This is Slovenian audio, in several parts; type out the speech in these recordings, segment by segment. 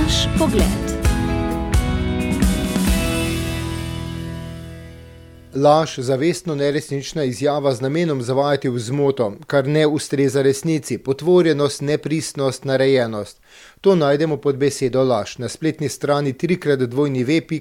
Naš pogled. Laž, zavestno neresnična izjava z namenom zavajati v zmoto, kar ne ustreza resnici, potvorjenost, nepristnost, narejenost. To najdemo pod besedo laž na spletni strani www.fram.si.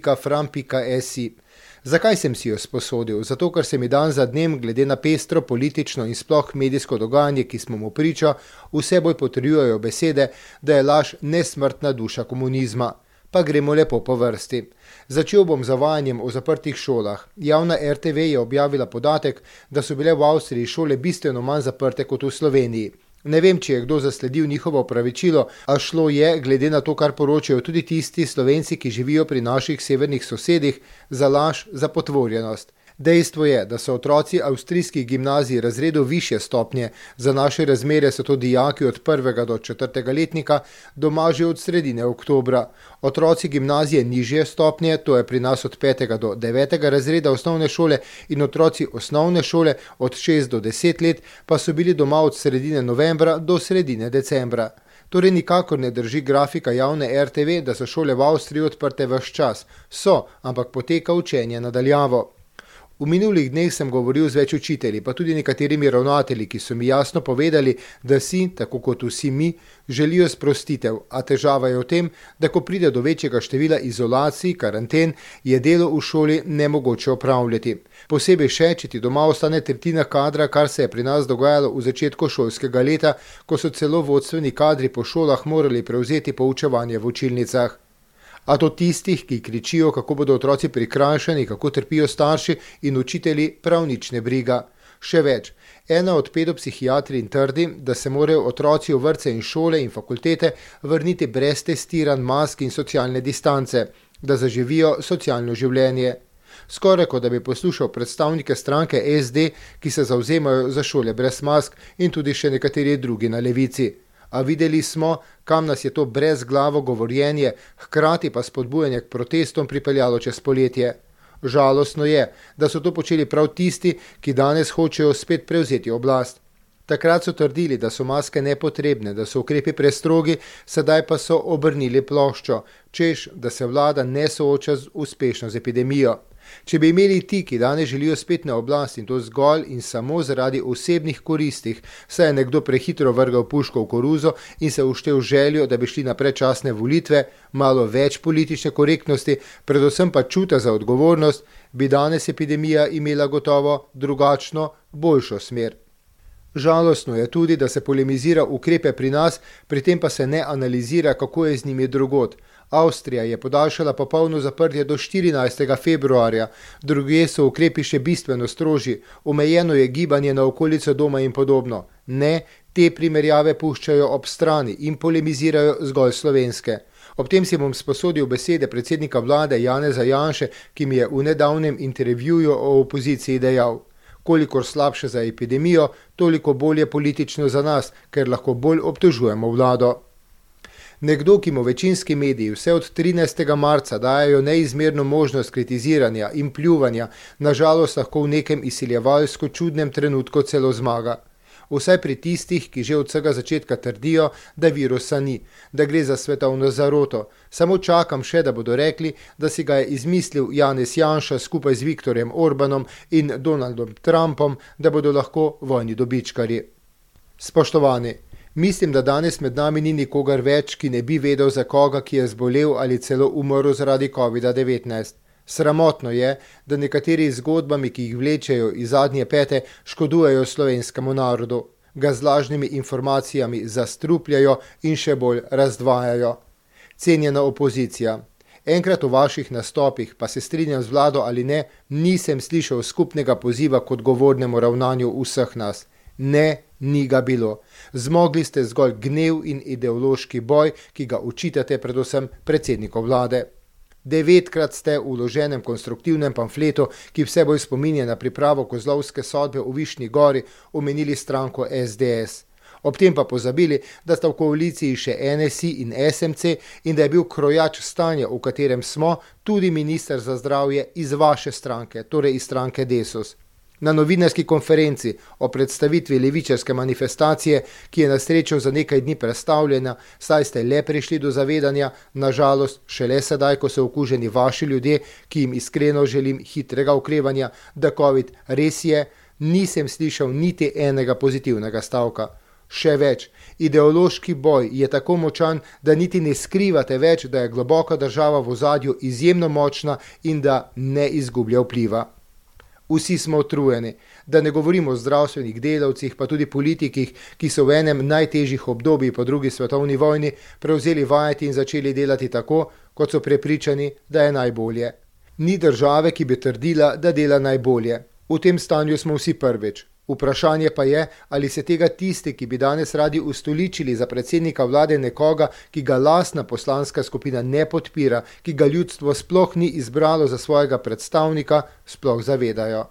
Zakaj sem si jo sposodil? Zato, ker se mi dan za dnem, glede na pestro, politično in sploh medijsko dogajanje, ki smo mu priča, vse bolj potrjujejo besede, da je laž nesmrtna duša komunizma. Pa gremo lepo po vrsti. Začel bom z zavajanjem o zaprtih šolah. Javna RTV je objavila podatek, da so bile v Avstriji šole bistveno manj zaprte kot v Sloveniji. Ne vem, če je kdo zasledil njihovo opravičilo, a šlo je, glede na to, kar poročajo tudi tisti Slovenci, ki živijo pri naših severnih sosedih, za laž, za potvorjenost. Dejstvo je, da so otroci avstrijskih gimnazij razredov višje stopnje, za naše razmere so to dijaki od 1. do 4. letnika, doma že od sredine oktobra. Otroci gimnazije nižje stopnje, to je pri nas od 5. do 9. razreda osnovne šole, in otroci osnovne šole od 6 do 10 let pa so bili doma od sredine novembra do sredine decembra. Torej nikakor ne drži grafika javne RTV, da so šole v Avstriji odprte ves čas. So, ampak poteka učenje na daljavo. V minulih dneh sem govoril z več učitelji, pa tudi nekaterimi ravnatelji, ki so mi jasno povedali, da si, tako kot vsi mi, želijo sprostitev, a težava je v tem, da ko pride do večjega števila izolacij, karanten, je delo v šoli nemogoče opravljati. Posebej še, če ti doma ostane tretjina kadra, kar se je pri nas dogajalo v začetku šolskega leta, ko so celo vodstveni kadri po šolah morali prevzeti poučevanje v učilnicah. A to tistih, ki kričijo, kako bodo otroci prikrajšani, kako trpijo starši in učitelji, prav nič ne briga. Še več, ena od pedopsihiatrinj trdi, da se morajo otroci v vrtce in šole in fakultete vrniti brez testiranj, mask in socialne distance, da zaživijo socialno življenje. Skoraj kot da bi poslušal predstavnike stranke SD, ki se zavzemajo za šole brez mask, in tudi še nekateri drugi na levici. A videli smo, kam nas je to brezglavo govorjenje, hkrati pa spodbujanje k protestom pripeljalo čez poletje. Žalostno je, da so to počeli prav tisti, ki danes hočejo spet prevzeti oblast. Takrat so trdili, da so maske nepotrebne, da so ukrepi prestrogi, sedaj pa so obrnili ploščo, češ, da se vlada ne sooča uspešno z epidemijo. Če bi imeli ti, ki danes želijo spet na oblast, in to zgolj in samo zaradi osebnih koristih, saj je nekdo prehitro vrgal puško v koruzo in se uštel željo, da bi šli na predčasne volitve, malo več politične korektnosti, predvsem pa čuta za odgovornost, bi danes epidemija imela gotovo drugačno, boljšo smer. Žalostno je tudi, da se polemizira ukrepe pri nas, pri tem pa se ne analizira, kako je z njimi drugod. Avstrija je podaljšala popolno zaprtje do 14. februarja, drugje so ukrepi še bistveno strožji, omejeno je gibanje na okolico doma in podobno. Ne, te primerjave puščajo ob strani in polemizirajo zgolj slovenske. Ob tem si bom sposodil besede predsednika vlade Janeza Janše, ki mi je v nedavnem intervjuju o opoziciji dejal: kolikor slabše za epidemijo, toliko bolje politično za nas, ker lahko bolj obtožujemo vlado. Nekdo, ki mu večinski mediji vse od 13. marca dajajo neizmerno možnost kritiziranja in pljuvanja, nažalost lahko v nekem izsiljevalsko čudnem trenutku celo zmaga. Vsaj pri tistih, ki že od vsega začetka trdijo, da virusa ni, da gre za svetovno zaroto. Samo čakam še, da bodo rekli, da si ga je izmislil Janez Janša skupaj z Viktorjem Orbanom in Donaldom Trumpom, da bodo lahko vojni dobičkarji. Spoštovani, mislim, da danes med nami ni nikogar več, ki ne bi vedel za koga, ki je zbolel ali celo umrl zaradi COVID-19. Sramotno je, da nekateri z zgodbami, ki jih vlečejo iz zadnje pete, škodujejo slovenskemu narodu, ga z lažnimi informacijami zastrupljajo in še bolj razdvajajo. Cenjena opozicija, enkrat v vaših nastopih, pa se strinjam z vlado ali ne, nisem slišal skupnega poziva k odgovornemu ravnanju vseh nas. Ne, ni ga bilo. Zmogli ste zgolj gnev in ideološki boj, ki ga očitate predvsem predsedniku vlade. 9-krat ste v vloženem konstruktivnem pamfletu, ki vse bolj spominja na pripravo kozlovske sodbe v Višnji Gori, omenili stranko SDS. Ob tem pa pozabili, da sta v koaliciji še NSI in SMC in da je bil krojač stanja, v katerem smo, tudi minister za zdravje iz vaše stranke, torej iz stranke Desus. Na novinarski konferenci o predstavitvi levičarske manifestacije, ki je na srečo za nekaj dni prestavljena, saj ste le prišli do zavedanja, nažalost šele sedaj, ko so okuženi vaši ljudje, ki jim iskreno želim hitrega okrevanja, da COVID res je, nisem slišal niti enega pozitivnega stavka. Še več, ideološki boj je tako močan, da niti ne skrivate več, da je globoka država v ozadju izjemno močna in da ne izgublja vpliva. Vsi smo utrujeni, da ne govorimo o zdravstvenih delavcih, pa tudi politikih, ki so v enem najtežjih obdobij po drugi svetovni vojni prevzeli vajeti in začeli delati tako, kot so prepričani, da je najbolje. Ni države, ki bi trdila, da dela najbolje. V tem stanju smo vsi prvič. Vprašanje pa je, ali se tega tisti, ki bi danes radi ustoličili za predsednika vlade nekoga, ki ga lastna poslanska skupina ne podpira, ki ga ljudstvo sploh ni izbralo za svojega predstavnika, sploh zavedajo.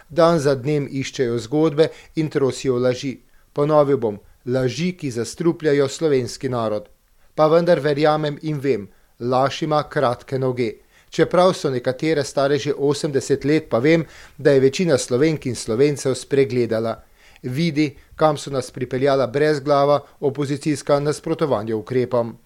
Dan za dnem iščejo zgodbe in trosijo laži. Ponovil bom, laži, ki zastrupljajo slovenski narod. Pa vendar verjamem in vem, laž ima kratke noge. Čeprav so nekatere stare že 80 let, pa vem, da je večina Slovenk in Slovencev spregledala. Vidi, kam so nas pripeljala brezglava opozicijska nasprotovanja ukrepom.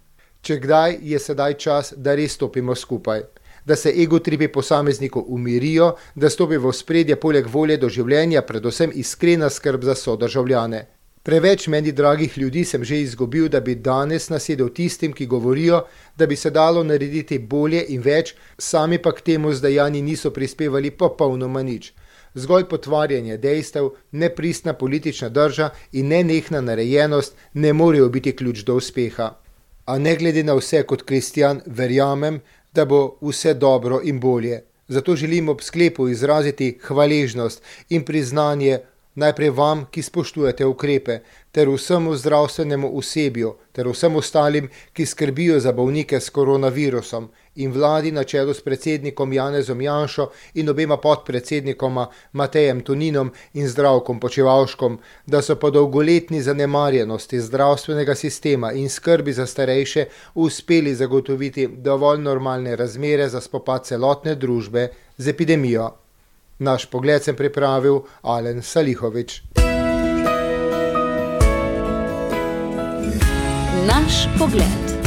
Če kdaj, je sedaj čas, da res stopimo skupaj. Da se egotripi posameznikov umirijo, da stopi v ospredje poleg volje do življenja predvsem iskrena skrb za sodržavljane. Preveč meni dragih ljudi sem že izgubil, da bi danes nasedel tistim, ki govorijo, da bi se dalo narediti bolje in več, sami pa k temu z dejanji niso prispevali popolnoma nič. Zgolj potvarjanje dejstev, nepristna politična drža in nenehna narejenost ne morejo biti ključ do uspeha. A ne glede na vse kot kristjan verjamem, da bo vse dobro in bolje. Zato želim ob sklepu izraziti hvaležnost in priznanje najprej vam, ki spoštujete ukrepe, ter vsemu zdravstvenemu osebju, ter vsem ostalim, ki skrbijo za bolnike s koronavirusom, in vladi na čelu s predsednikom Janezom Janšo in obema podpredsednikoma Matejem Toninom in Zdravkom Počivalškom, da so po dolgoletni zanemarjenosti zdravstvenega sistema in skrbi za starejše uspeli zagotoviti dovolj normalne razmere za spopad celotne družbe z epidemijo. Naš pogled sem pripravil Alen Salihović. Naš pogled.